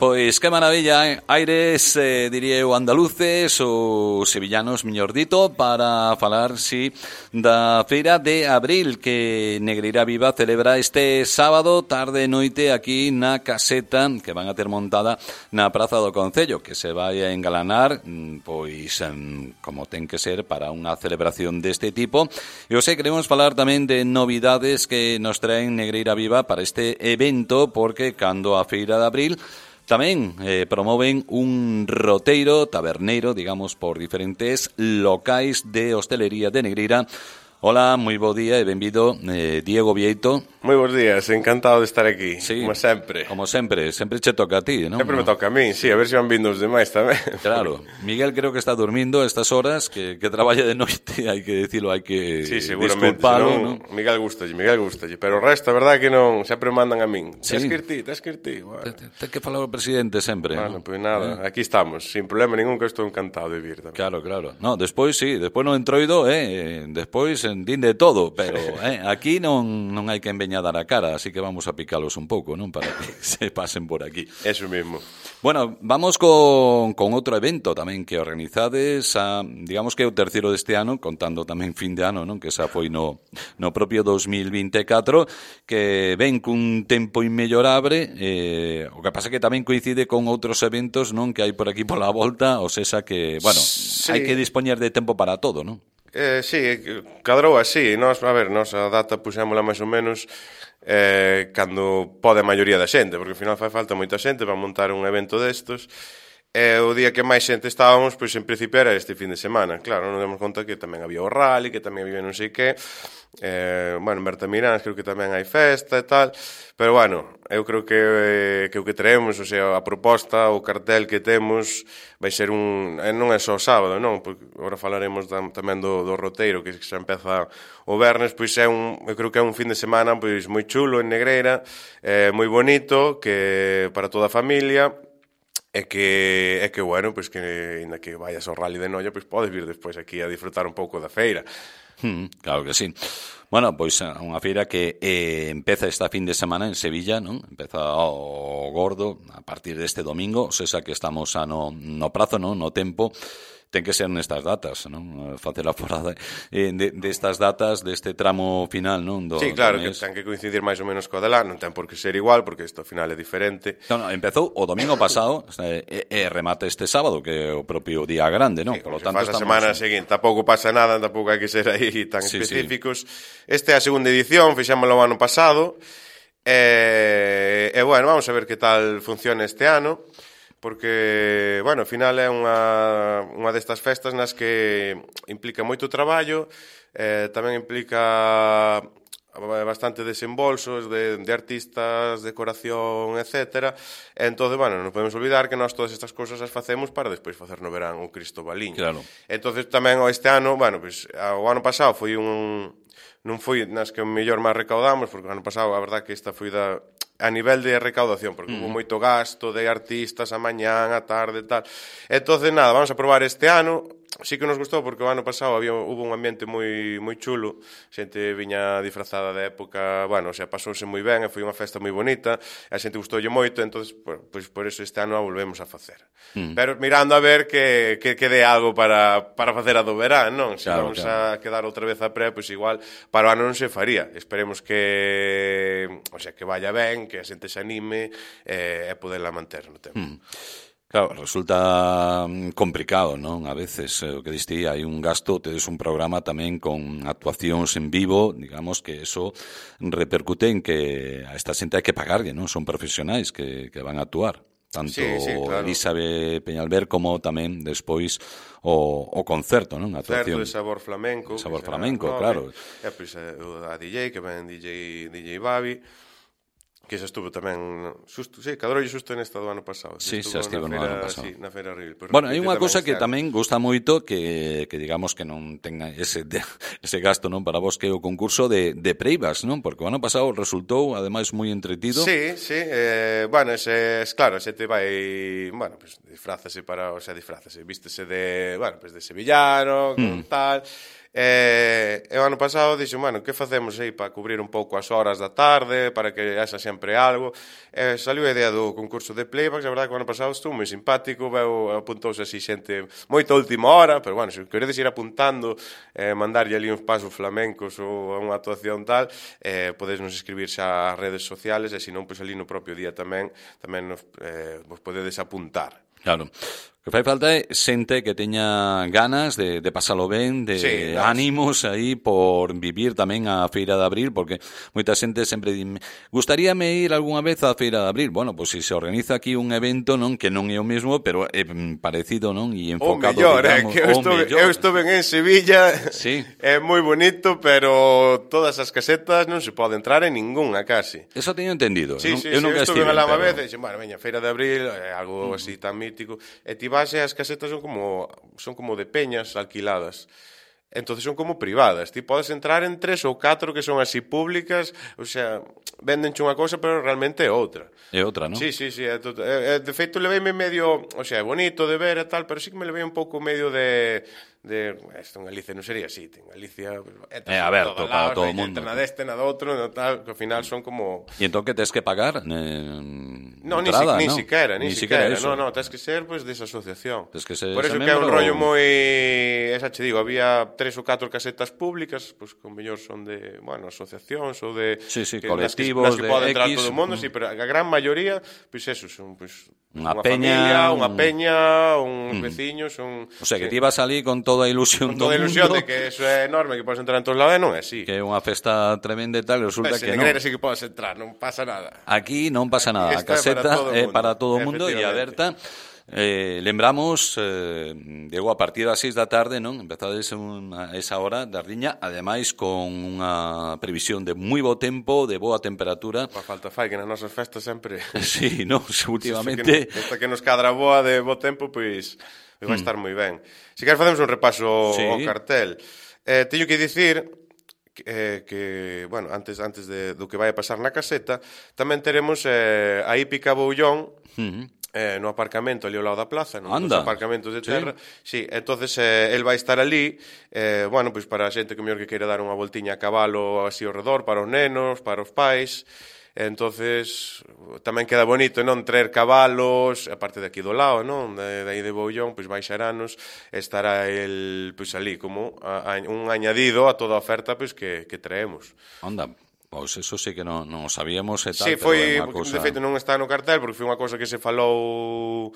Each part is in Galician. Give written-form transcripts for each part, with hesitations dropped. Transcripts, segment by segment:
Pois que maravilla, aires, diría eu, andaluces ou sevillanos, mellor dito, para falar, si, da Feira de Abril que Negreira Viva celebra este sábado tarde e noite aquí na caseta que van a ter montada na Praza do Concello, que se vai a engalanar, pois, como ten que ser para unha celebración deste tipo. E hoxe queremos falar tamén de novidades que nos traen Negreira Viva para este evento, porque cando a Feira de Abril tamén promoven un roteiro taberneiro, digamos, por diferentes locais de hostelería de Negreira. Hola, moi bo día e benvido, Diego Vieito. Moi bons días, encantado de estar aquí, sí, como sempre. Como sempre che toca a ti, non? Sempre me toca a mí, sí, a ver se van vindo os demais tamén. Claro, Miguel creo que está durmindo a estas horas, que traballa de noite, hai que dicilo, hai que sí, seguramente, disculpalo, senón, non? Miguel gustalle, pero o resto, a verdade que non, sempre mandan a min. Sí. Tens que ir ti. Bueno. Ten que falar o presidente sempre. Bueno, pois nada, aquí estamos, sin problema ningún, que estou encantado de vir tamén. Claro. No, despois sí, despois no entroido, despois din de todo, pero aquí non hai que embeñadar a cara, así que vamos a picalos un pouco, non? Para que se pasen por aquí. Eso mismo. Bueno, vamos con outro evento tamén que organizades, digamos que é o terceiro deste ano, contando tamén fin de ano, non? Que xa foi no propio 2024, que ven cun tempo inmellorable, o que pasa que tamén coincide con outros eventos, non? Que hai por aquí pola volta, ou sexa que, bueno, sí, hai que dispoñer de tempo para todo, non? Sí, cadrou así. Nos a data puxémola máis ou menos cando pode a maioría da xente, porque ao final fai falta moita xente para montar un evento destos. O día que máis xente estábamos, pois en principio era este fin de semana. Claro, non demos conta que tamén había o rally, que tamén había non sei que. Bueno, en Bertamiráns creo que tamén hai festa e tal. Pero bueno, eu creo que o que traemos, o sea, a proposta, o cartel que temos vai ser non é só sábado, non? Porque agora falaremos tamén do roteiro que xa empeza o vernes, pois eu creo que é un fin de semana pois moi chulo en Negreira, moi bonito, que para toda a familia. É que bueno, pois que ainda que vayas ao rally de Noia, pois podes vir despois aquí a disfrutar un pouco da feira. Claro que sí. Bueno, pois unha feira que empeza esta fin de semana en Sevilla, non? Empeza o gordo a partir deste domingo, ou seja que estamos no prazo, non? No tempo. Ten que ser nestas datas, non? Facer a forada destas datas, deste tramo final, non? Sí, claro, que ten que coincidir máis ou menos co Adelá, non ten por que ser igual, porque isto ao final é diferente. Non, empezou o domingo pasado e remata este sábado, que é o propio día grande, non? Sí, Por lo tanto, a semana seguinte, tampouco pasa nada, tampouco hai que ser aí tan específicos. Sí. Esta é a segunda edición, fixámoslo o ano pasado, e bueno, vamos a ver que tal funciona este ano, porque, bueno, ao final é unha destas festas nas que implica moito traballo, tamén implica bastante desembolsos de artistas, decoración, etc. Entón, bueno, non podemos olvidar que nós todas estas cousas as facemos para despois facer no verán o Cristobaliño. Claro. Entón, tamén este ano, bueno, pues, o ano pasado foi non foi nas que o mellor máis recaudamos, porque o ano pasado a verdad que esta foi a nivel de recaudación, porque hubo moito gasto de artistas a mañán, a tarde e tal. Entón, nada, vamos a probar este ano. Sí que nos gustou porque o ano pasado hubo un ambiente moi chulo, xente viña disfrazada de época, bueno, o sea, pasouse moi ben e foi unha festa moi bonita, a xente gustoulle moito, entón, pois por eso este ano a volvemos a facer. Pero mirando a ver que dé algo para facer a do verán, non? Se claro, vamos a quedar outra vez a pré, pois igual para o ano non se faría. Esperemos que, o sea, que vaya ben, que a xente se anime e poderla manter no tempo. Claro, resulta complicado, non? A veces, o que diste, hai un gasto, tedes un programa tamén con actuacións en vivo, digamos que eso repercute en que a esta xente hai que pagarlle, non? Son profesionais que van a actuar. Tanto sí, claro. Elizabeth Peñalver como tamén despois o concerto, non? A actuación. Certo, de sabor flamenco. Sabor flamenco, claro. E pois a DJ, que ven DJ Babi, que xa estuvo tamén xusto, sí, cadroulle xusto nesta do ano pasado. Sí, xa estivo no ano pasado. Sí, na Feira Abril. Bueno, hai unha cousa que tamén gusta moito que digamos que non tenga ese gasto, non, para vos, que é o concurso de preivas, non? Porque o ano pasado resultou ademais moi entretido. Sí, bueno, claro, xe te vai, bueno, pues vístese de, bueno, pues de sevillano, con tal. E o ano pasado dixo, bueno, que facemos aí para cubrir un pouco as horas da tarde, para que haxa sempre algo. Saliu a idea do concurso de playbacks, a verdade que o ano pasado estuvo moi simpático, apuntouse así xente moita última hora, pero bueno, se queredes ir apuntando, mandarlle ali uns pasos flamencos ou unha actuación tal, podedes nos escribirse ás redes sociales, e se non, pois ali no propio día tamén vos podedes apuntar. Claro. O que fai falta é xente que teña ganas de pasalo ben, de ánimos aí por vivir tamén a Feira de Abril, porque moita xente sempre dime, gustaríame ir algunha vez á Feira de Abril. Bueno, pois se organiza aquí un evento, non, que non é o mesmo, pero é parecido, non, e enfocado, o mellor, digamos, eu estuve en Sevilla, sí. É moi bonito, pero todas as casetas non se pode entrar en ningunha casi. Eso teño entendido. Sí, eu nunca estive lá unha vez, e dixen, bueno, veña, Feira de Abril, é algo así tan mítico, e ti vas e as casetas son como de peñas alquiladas. Entonces son como privadas. Ti podes entrar en 3 ou 4 que son así públicas, o sea, véndenche unha cousa, pero realmente é outra. É outra, non? Sí. De feito, leveime medio, o sea, é bonito de ver e tal, pero sí que me levei un pouco medio de isto en Galicia non sería así, en Galicia é aberto para todo o mundo. Na deste, na do outro, no tal, que ao final son como... E entón que tens que pagar? No, entrada, ni siquiera. No, tens que ser, pues, desa asociación. Tens que ser por eso que é un rollo moi... Esa che digo, había 3 ou 4 casetas públicas, pues, con mellor son de, bueno, asociacións ou de... Sí, colectivos, nas que pode entrar todo o mundo, sí, pero a gran maioría, pues eso, son, pues... Unha familia, unha peña, uns veciños, O sea, que ti vas ali con toda a ilusión do mundo. Con toda a ilusión de que eso é enorme, que podes entrar en todos lados, non é así. Que é unha festa tremenda e tal, resulta que non. Sí que podes entrar, non pasa nada. Aquí non pasa nada, a caseta é para todo o mundo e aberta. Lembramos, Diego, a partir das 6 da tarde, non? Empezades a esa hora da riña, ademais con unha previsión de moi bo tempo, de boa temperatura. A falta fai que nas nosas festas sempre... Sí, non, últimamente... Esta que nos cadra boa de bo tempo, pois vai estar moi ben. Se queres facemos un repaso ao cartel. Teño que dicir que bueno, antes do que vai a pasar na caseta, tamén teremos a hípica Boullón, no aparcamento ali ao lado da plaza, nos aparcamentos de terra. Sí, entonces el vai estar ali, bueno, pois para a xente que mellor que queira dar unha voltiña a cabalo así ao redor, para os nenos, para os pais. Entonces tamén queda bonito, non, traer cabalos, aparte de aquí do lado, non, de aí de Boullón, pois baixaranos, estará el pois ali como un añadido a toda a oferta pois que traemos. Anda. Pois eso sí que non sabíamos e tal. Sí, foi, de feito non está no cartel porque foi unha cosa que se falou,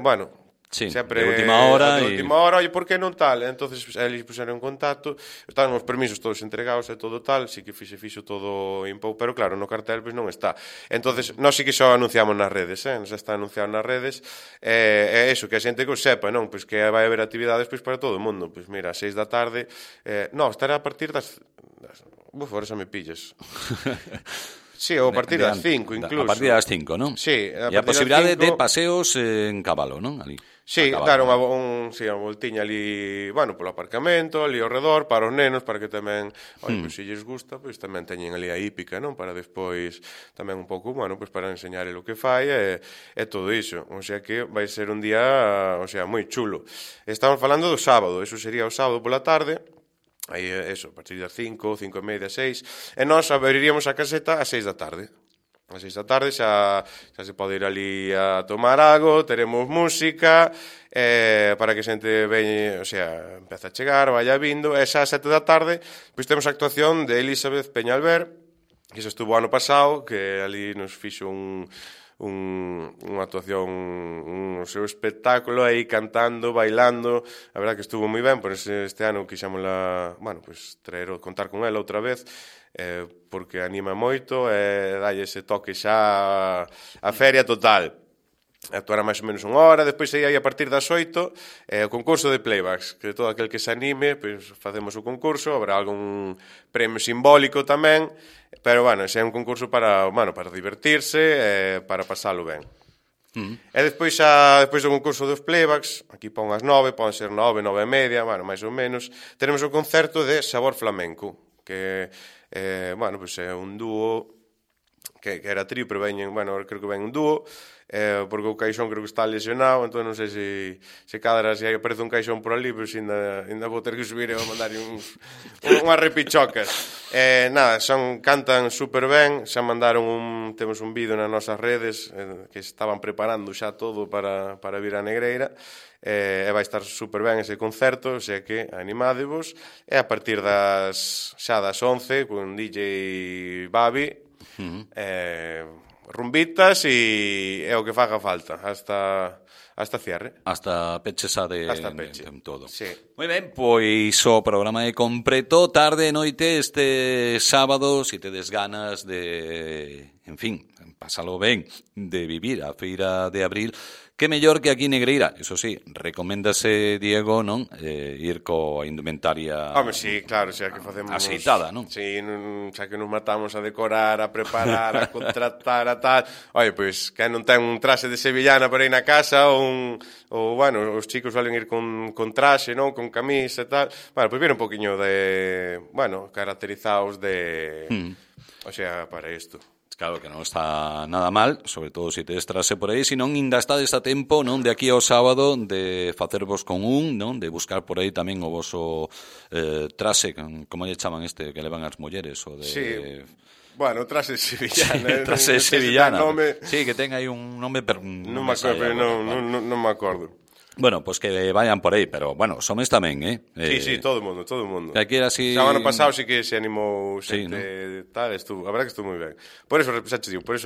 bueno, sí, sempre de última hora. De última hora, e por que non tal? Entonces eles puseron en contacto, estaban os permisos todos entregados e todo tal, sí que fixo todo impou, pero claro, no cartel pois non está. Entonces, nós sí que xa anunciamos nas redes, xa está anunciado nas redes, é eso, que a xente que o sepa, non? Pois que vai haber actividades pois para todo o mundo. Pois mira, a 6 da tarde, non, estará a partir das agora xa me pillas. Sí, ou a partir das 5 incluso. A partir das 5, non? Sí, e a posibilidade de paseos en cabalo, non? Ali. Sí, dar unha voltiña ali, bueno, polo aparcamento, ali ao redor, para os nenos, para que tamén, pois se lles gusta, pois tamén teñen ali a hípica, non? Para despois tamén un pouco, bueno, pois para enseñar o que fai e todo iso. O sea que vai ser un día, o sea, moi chulo. Estamos falando do sábado, eso sería o sábado pola tarde. Aí, eso, a partir das 5, 5:30, 6, e nós abriríamos a caseta ás 6 da tarde. Ás 6 da tarde xa se pode ir ali a tomar algo, teremos música, para que a xente veñe, o sea, empeza a chegar, vaya vindo, e xa ás 7 da tarde, pois temos a actuación de Elizabeth Peñalver, que xa estuvo ano pasado, que ali nos fixo unha actuación, un seu espectáculo aí cantando, bailando, a verdad que estuvo moi ben, por este ano quixámosla, bueno, pues contar con ela outra vez, porque anima moito e dalle ese toque xa a feria total. Actuará máis ou menos unha hora, despois aí a partir das 8 o concurso de playbacks, que todo aquel que se anime, pois facemos o concurso, habrá algún premio simbólico tamén, pero, bueno, ese é un concurso para divertirse, para pasalo ben. E despois do concurso dos playbacks, aquí pon as 9, pon ser 9, 9:30, bueno, máis ou menos, teremos o concerto de Sabor Flamenco, que, bueno, pois é un dúo que era trío, pero veñen, bueno, creo que ven un dúo, porque o Caixón creo que está lesionado, entón non sei se cadra, se aparece un Caixón por ali, pois ainda vou ter que subir e vou mandar unhas repichocas. Nada, cantan super ben, xa mandaron temos un vídeo nas nosas redes que estaban preparando xa todo para vir a Negreira, e vai estar super ben ese concerto, xa que animádevos, e a partir xa das 11 con DJ Babi, rumbitas e o que faga falta hasta cierre. Hasta peche xa de todo. Sí. Moi ben, pois o programa é completo, tarde e noite este sábado, se tedes ganas de, en fin, pásalo ben, de vivir a Feira de Abril, que mellor que aquí Negreira. Eso sí, recoméndase, Diego, non? Ir coa indumentaria... Home, sí, claro, xa que facemos... Aceitada, non? Sí, xa que nos matamos a decorar, a preparar, a contratar, a tal... Oye, pois, que non ten un traxe de sevillana para ir na casa, ou bueno, os chicos suelen ir con traxe, non? Con camisa e tal... Bueno, pois vir un poquinho de... Bueno, caracterizados de... O sea, para isto. Claro que non está nada mal, sobre todo se tedes trase por aí, senón ainda estades a tempo, non, de aquí ao sábado de facervos con non, de buscar por aí tamén o voso trase, como lle chaman que levan as mulleres, o de... Sí. Bueno, trase sevillana. Trase sevillana. Sí, que ten aí un nome... Non me acordo. Bueno, pues que vayan por aí, pero bueno, somes tamén, Sí, todo o mundo. Que aquí era así... O ano pasado sí que se animou xente, tal, a verdad que estuvo moi ben. Por eso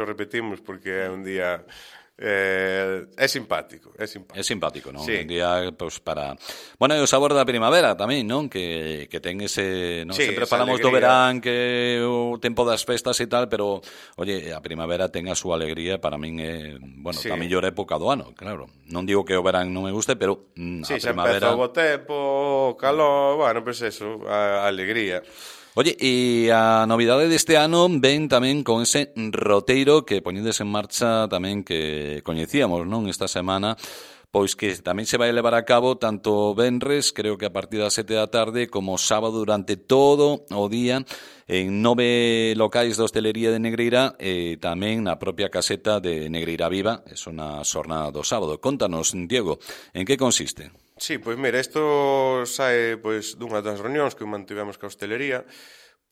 repetimos, porque é un día... é simpático. É simpático, non? Sí. Un día, pues, para... Bueno, e o sabor da primavera tamén, non? Que ten ese... Non? Sí, sempre falamos do verán, que o tempo das festas e tal, pero, oye, a primavera ten a súa alegría, para min é, bueno, sí, a mellor época do ano, claro. Non digo que o verán non me guste, pero sí, a primavera... Sí, xa empeza o bo tempo, o calor, bueno, pues eso, a alegría. Oye, e a novidade deste ano ven tamén con ese roteiro que poñedes en marcha tamén que coñecíamos, non, esta semana, pois que tamén se vai levar a cabo tanto venres, creo que a partir das 7 da tarde, como sábado durante todo o día en 9 locais da hostelería de Negreira e tamén na propia caseta de Negreira Viva, é na xornada do sábado. Contanos, Diego, en que consiste? Sí, pois mira, isto sae pois dunha das reunións que mantivemos ca hostelería,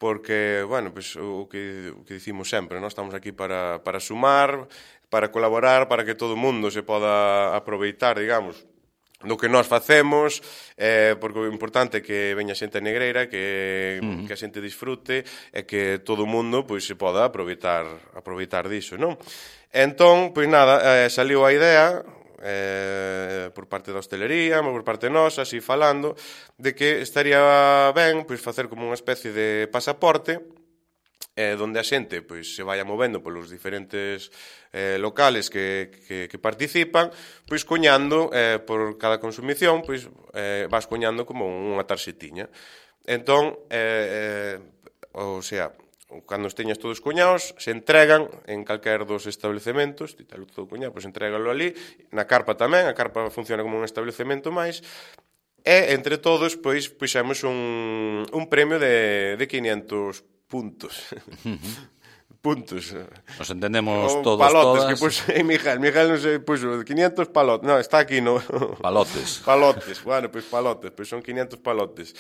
porque, bueno, pois o que dicimos sempre, nós estamos aquí para sumar, para colaborar, para que todo o mundo se poda aproveitar, digamos, do que nós facemos, porque o importante é que veña xente negreira, que a xente disfrute e que todo o mundo pois se poda aproveitar diso, non? Entón, pois nada, saliu a idea por parte da hostelería, por parte nosa, así falando, de que estaría ben pois facer como unha especie de pasaporte donde a xente pois se vaya movendo polos diferentes locales que participan, pois coñando por cada consumición, pois vas coñando como unha tarxetiña. Entón, o sea, cando os teñas todos coñados, se entregan en calquer dos establecementos, ti telo todo coñado, pois entrégalo ali, na carpa tamén, a carpa funciona como un establecemento máis, e entre todos, pois, puxemos un premio de 500 puntos. Puntos. Nos entendemos todos, palotes, todas. Que puxo Miguel non se puxo 500 palotes. Non, está aquí, no. Palotes. Palotes, bueno, pois palotes, pois son 500 palotes.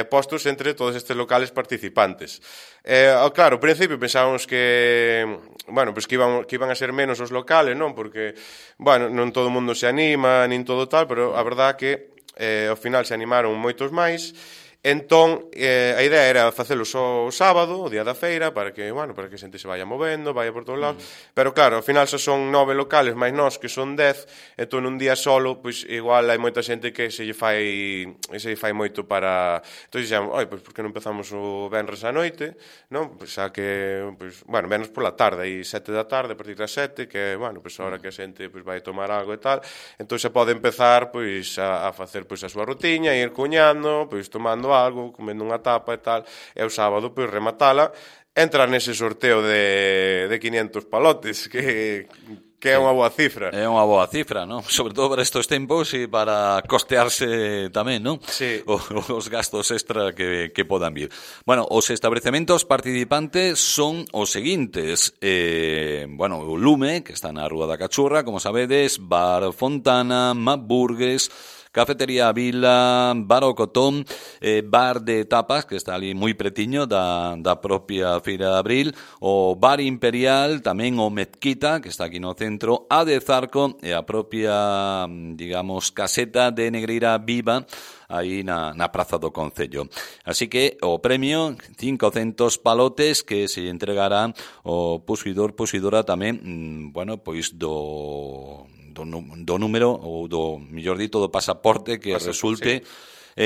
Postos entre todos estes locales participantes. Claro, ao principio pensábamos que, bueno, pois que iban a ser menos os locales, non? Porque, bueno, non todo o mundo se anima, nin todo tal, pero a verdad que ao final se animaron moitos máis. Entón, a idea era facelo só o sábado, o día da feira, para que a xente se vaya movendo, vaya por todos lados. Pero claro, ao final xa son 9 locales, máis nós que son 10, entón un día solo, pois igual hai moita xente que se lle fai moito para... Entón dixemos, pois por que non empezamos o venres á noite, non? Pois xa que, venres pola tarde, aí 7 da tarde, a partir das 7, que, pois a hora que a xente vai tomar algo e tal, entón xa pode empezar, pois, a facer pois a súa rutiña, ir cuñando, pois tomando algo, comendo unha tapa e tal, e o sábado, pois, rematala, entrar nese sorteo de 500 palotes, que Que é unha boa cifra. É unha boa cifra, non? Sobre todo para estes tempos e para costearse tamén, non? Sí. Os gastos extra que podan vir. Bueno, os establecementos participantes son os seguintes. O Lume, que está na Rúa da Cachurra, como sabedes, Bar Fontana, Map Burgues, Cafetería Vila, Bar O Cotón, Bar de Tapas, que está ali moi pretiño da propia Feira de Abril, o Bar Imperial, tamén o Mezquita, que está aquí no centro, a de Zarco e a propia, digamos, caseta de Negreira Viva, aí na Praza do Concello. Así que o premio, 500 palotes que se entregará o posuidora tamén, pois do número ou do, mellor dito, do pasaporte que resulte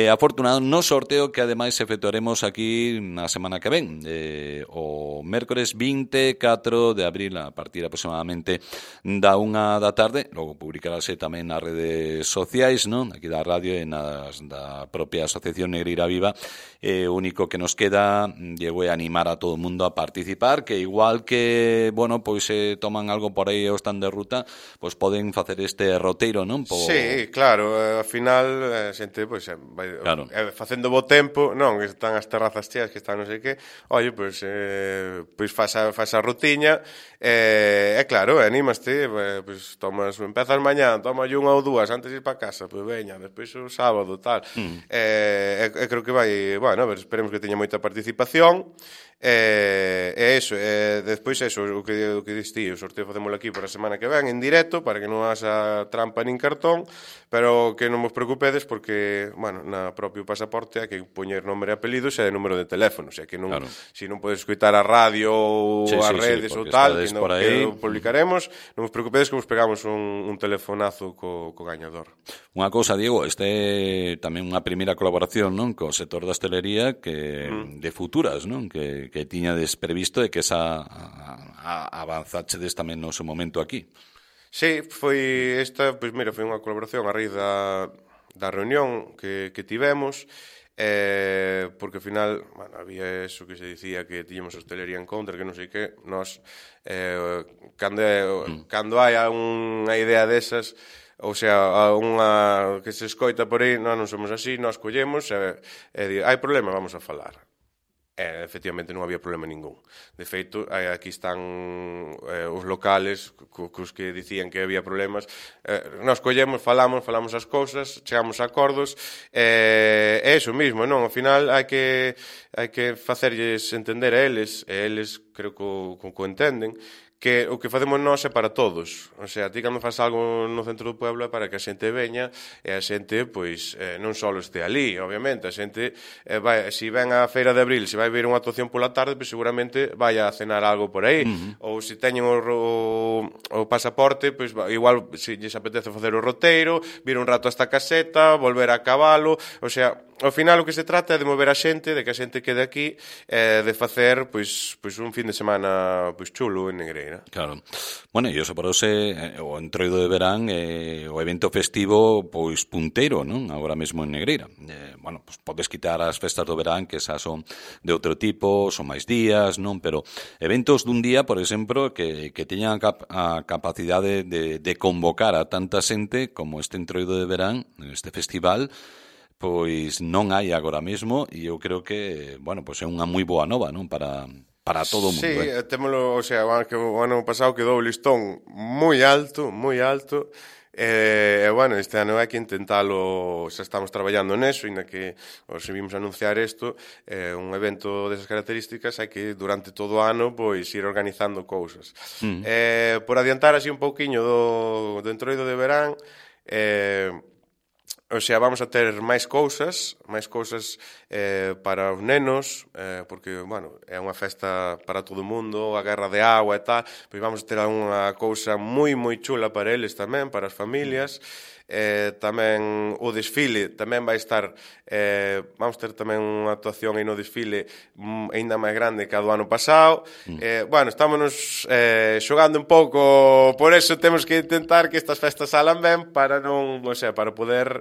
afortunado no sorteo que ademais efectuaremos aquí na semana que ven, o mércores 24 de abril a partir aproximadamente da 1 da tarde. Logo publicarase tamén nas redes sociais, non? Aquí da radio e da propia Asociación Negreira Viva. O único que nos queda, Diego, é animar a todo o mundo a participar, que igual que, toman algo por aí o están de ruta, pois poden facer este roteiro, non? Sí, claro, ao final a xente, claro, facendo bo tempo, non, que están as terrazas cheas, que están non sei que, pois faz a rutiña, claro, animaste, pois empezas mañá, tomas unha ou dúas antes de ir para casa, pois veña, despois o sábado, tal. Creo que vai, esperemos que teña moita participación, despois o que diste, o sorteo facémolo aquí para a semana que ven en directo, para que non haxa trampa nin cartón, pero que non vos preocupedes porque, na propio pasaporte hai que poñer nombre e apelidos e número de teléfono, o sea que non, claro, se non podes escoitar a radio ou as redes ou tal, que o publicaremos, non vos preocupedes que vos pegamos un telefonazo co gañador. Unha cousa, Diego, este é tamén unha primeira colaboración, non, co sector da hostelería de futuras, non, que tiñades previsto e que avanzachedes tamén no seu momento aquí. Sí, foi unha colaboración a raíz da reunión que tivemos, porque ao final, había eso que se dicía que tiñamos hostelería en contra, que non sei que, nós, cando hai unha idea desas, ou sea, unha que se escoita por aí, non somos así, nós collemos e hai problema, vamos a falar. Efectivamente non había problema ningún. De feito, aquí están os locales cos que dicían que había problemas. Nós collemos, falamos as cousas, chegamos a acordos, é iso mismo, non? Ao final hai que facerlles entender a eles, e eles creo que o entenden, que o que facemos nós é para todos. O sea, ti cando faz algo no centro do pueblo é para que a xente veña e a xente, pois, non só este ali, obviamente. A xente, se ven a Feira de Abril, se vai ver unha actuación pola tarde, pois seguramente vai a cenar algo por aí. Ou se teñen o pasaporte, pois igual se lles apetece facer o roteiro, vir un rato a esta caseta, volver a cabalo. O sea, ao final o que se trata é de mover a xente, de que a xente quede aquí, de facer pois un fin de semana chulo en Negreira. Claro. Bueno, e iso por ose o entroido de verán o evento festivo pois punteiro, non? Agora mesmo en Negreira. Pois podes quitar as festas do verán, que esas son de outro tipo, son máis días, non? Pero eventos dun día, por exemplo, que teñan a capacidade de convocar a tanta xente como este entroido de verán, este festival, pois non hai agora mesmo, e eu creo que, pois é unha moi boa nova, non? Para todo o mundo. Sí, témolo, o sea, que o ano pasado quedou o listón moi alto, este ano hai que intentalo, xa estamos traballando neso, inda que os vimos anunciar isto, un evento desas características hai que durante todo o ano pois ir organizando cousas. Por adiantar así un pouquiño do entroido de verán, o sea, vamos a ter máis cousas para os nenos, porque, é unha festa para todo o mundo, a guerra de agua e tal, pois vamos a ter unha cousa moi, moi chula para eles tamén, para as familias. Tamén o desfile tamén vai estar, vamos ter tamén unha actuación aí no desfile aínda máis grande que a do ano pasado. Estámonos xogando un pouco, por eso temos que intentar que estas festas salan ben para non, para poder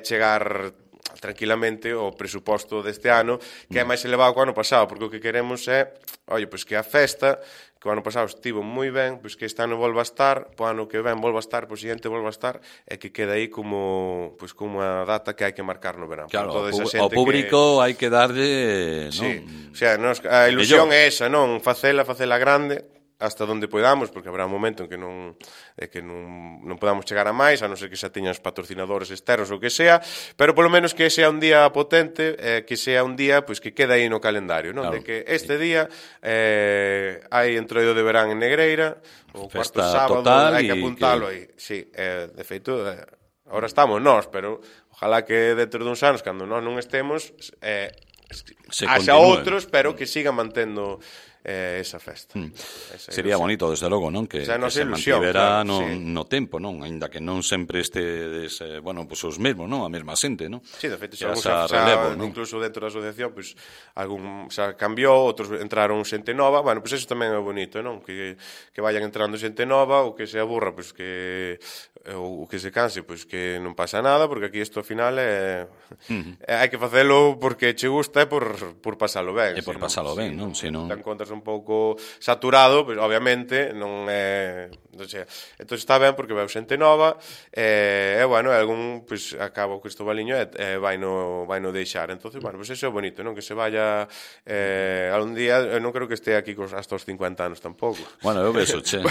chegar tranquilamente o presuposto deste ano, que é máis elevado que o ano pasado, porque o que queremos é, pois que a festa, que o ano pasado estivo moi ben, pois que este ano volva a estar, po ano que ven volva a estar, po seguinte volva a estar, e que queda aí como unha data que hai que marcar no verán. Claro, ao público hai que darlle, non? Sí, o sea, a ilusión é esa, non? Facela grande, hasta donde podamos, porque habrá un momento en que non podamos chegar a máis, a non ser que xa teñas patrocinadores externos ou que sea, pero polo menos que sea un día potente, que sea un día pois que queda aí no calendario, non? Claro, de que este día hai entroido de verán en Negreira, o cuarto sábado, hai que apuntalo aí. Sí, de feito, ahora estamos nós, pero ojalá que dentro duns anos, cando nós non estemos, haxa outros, pero que sigan mantendo esa festa. Sería bonito, desde logo, non? Que se mantivera no tempo, non? Ainda que non sempre estedes, pois os mesmos, non? A mesma xente, non? Sí, de feito, incluso dentro da asociación, pois algún xa cambiou, outros entraron xente nova, pois eso tamén é bonito, non? Que vayan entrando xente nova, ou que se aburra, pois que ou que se canse, pois que non pasa nada, porque aquí isto ao final hai que facelo porque che gusta e por pasalo ben. E por pasalo ben, non? Se non te encontras un pouco saturado, pois obviamente non é, entón está ben porque vai xente nova e algún pois acaba o Cristobaliño e vai no deixar. Entonces, pois eso é bonito, non? Que se vaya algún día, eu non creo que este aquí hasta os 50 anos tampouco. Bueno, eu vexo, che.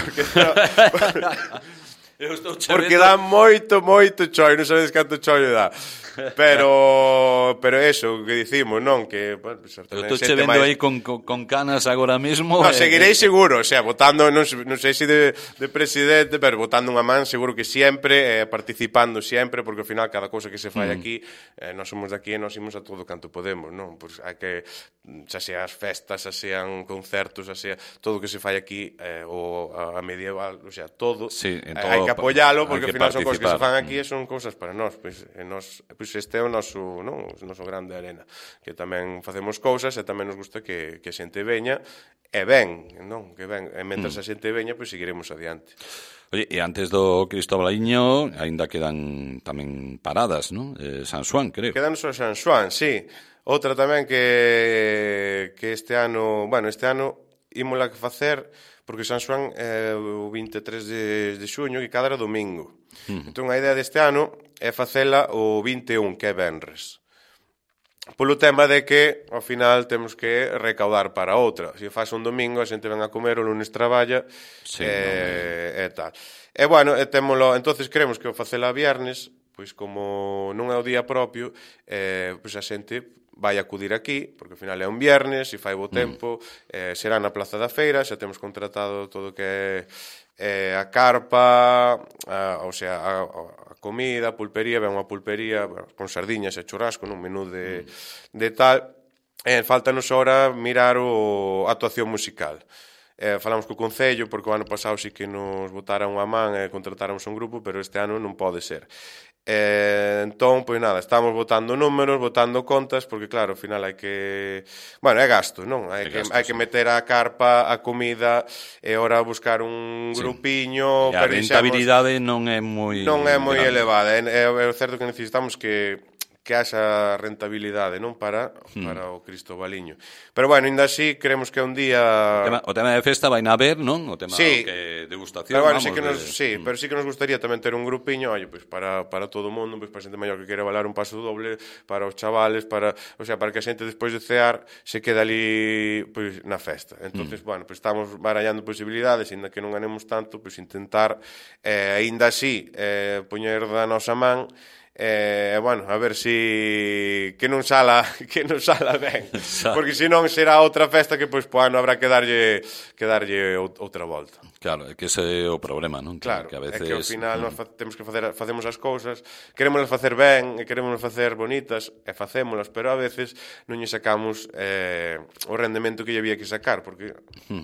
Porque dá moito chollo, non sabedes canto chollo dá. Pero eso, que dicimos, non? Que, pues, eu estou che vendo aí con canas agora mesmo. No, seguirei seguro, o sea, votando, non sei se de presidente, pero votando unha man, seguro que sempre, participando sempre, porque ao final cada cousa que se fai aquí, nós somos daqui e nós imos a todo canto podemos, non? Pois hai que, xa sea as festas, xa sean concertos, xa sea todo o que se fai aquí, ou a medieval, o sea, todo, hai que apoialo, porque ao final son cousas que se fan aquí e son cousas para nós, pois este é o noso grande arena, que tamén facemos cousas e tamén nos gusta que a xente veña e ven, non? Que ven, e mentras a xente veña, pois seguiremos adiante. Oye, e antes do Cristobaliño aínda quedan tamén paradas, non? San Xoán, creo. Quedan só San Xoán, sí. Outra tamén que este ano ímola que facer, porque San Xoán é o 23 de xuño, que cada era domingo. Entón, a idea deste ano é facela o 21, que é venres. Polo tema de que, ao final, temos que recaudar para outra. Se faz un domingo, a xente ven a comer, o lunes traballa, e tal. E, témolo, entonces queremos que o facela viernes, pois como non é o día propio, pois a xente vai acudir aquí, porque ao final é un viernes, e fai bo tempo, será na Plaza da Feira, xa temos contratado todo o que é a carpa, o sea, a comida, a pulpería, ven unha pulpería con sardiñas e churrasco, nun menú de tal, faltanos ahora mirar a actuación musical. Falamos co Concello, porque o ano pasado sí que nos botaron unha man e contratáramos un grupo, pero este ano non pode ser. Entón, pois nada, estamos botando números, botando contas, porque claro, ao final hai que... é gasto, non? Hai que meter a carpa, a comida, e ora buscar un grupiño... E a rentabilidade non é moi... Non é moi elevada. É certo que necesitamos que haxa rentabilidade, non? Para o Cristobaliño. Pero, ainda así, creemos que un día... O tema de festa vai na ver, non? O tema de degustación, pero, pero sí que nos gustaría tamén ter un grupiño, para todo o mundo, para a xente maior que quere valer un paso doble, para os chavales, para que a xente despois de cear se quede ali na festa. Entonces, estamos barallando posibilidades, ainda que non ganemos tanto, intentar, ainda así, poñer da nosa man, a ver si que non sala ben, porque senón será outra festa que habrá que darlle outra volta. Claro, é que ese é o problema, non? Claro, que a veces... é que ao final nós facemos as cousas, queremos facer ben e queremos facer bonitas e facémolas, pero a veces non lle sacamos o rendemento que lle había que sacar, porque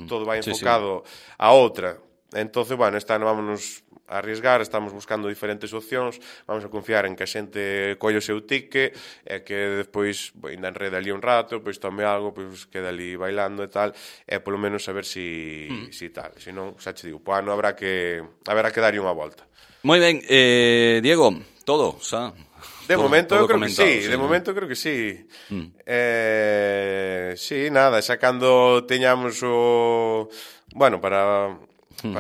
todo vai enfocado a outra. Entonces, este ano vámonos a arriesgar, estamos buscando diferentes opcións, vamos a confiar en que a xente colle o seu tique e que despois ainda enreda ali un rato, pois tome algo, pois queda ali bailando e tal, e polo menos saber si tal. Se non, xa che digo, ano haberá que darlle unha volta. Moi ben, Diego, todo, xa... De momento eu creo que sí, sí, de ¿no? momento creo que sí. Sí, nada, xa cando teñamos o... Bueno, para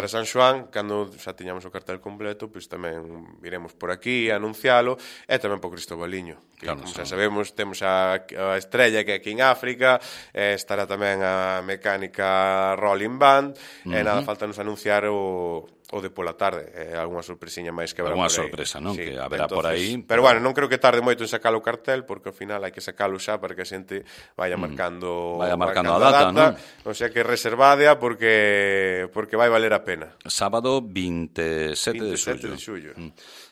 San Xoán, cando xa teñamos o cartel completo, pois tamén viremos por aquí a anuncialo, e tamén por Cristobaliño, que Claro, como xa sabemos, temos a Estrella que é aquí en África, estará tamén a mecánica Rolling Band, e nada, falta nos anunciar o de pola tarde, algunha sorpresiña máis que habrá Alguna por aí. sorpresa, non? Sí, Que haberá entonces, por aí. Pero bueno, non creo que tarde moito en sacar o cartel, porque ao final hai que sacalo xa para que a xente vaya marcando Vaya marcando a data, non? O sea que reservádea porque vai valer a pena. Sábado 27 de 27 xullo. de xullo.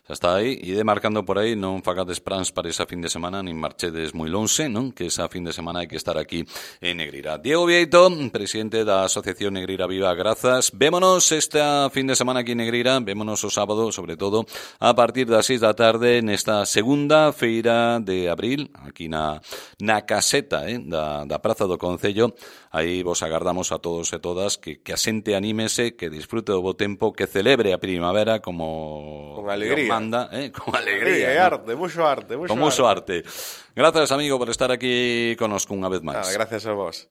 Xa está aí, ide marcando por aí, non fagades plans para esa fin de semana, nin marchedes moi lonxe, non? Que esa fin de semana hai que estar aquí en Negreira. Diego Vieito, presidente da Asociación Negreira Viva, grazas. Vémonos esta fin de semana aquí en Negreira, vémonos o sábado, sobre todo, a partir das 6 da tarde, nesta segunda feira de abril, aquí na caseta da Praza do Concello. Aí vos agardamos a todos e todas que a xente anímese, que disfrute do bo tempo, que celebre a primavera como con alegría. Manda, con alegría. Arte, mucho arte. Con mucho arte. Gracias, amigo, por estar aquí connosco unha vez máis. Gracias a vos.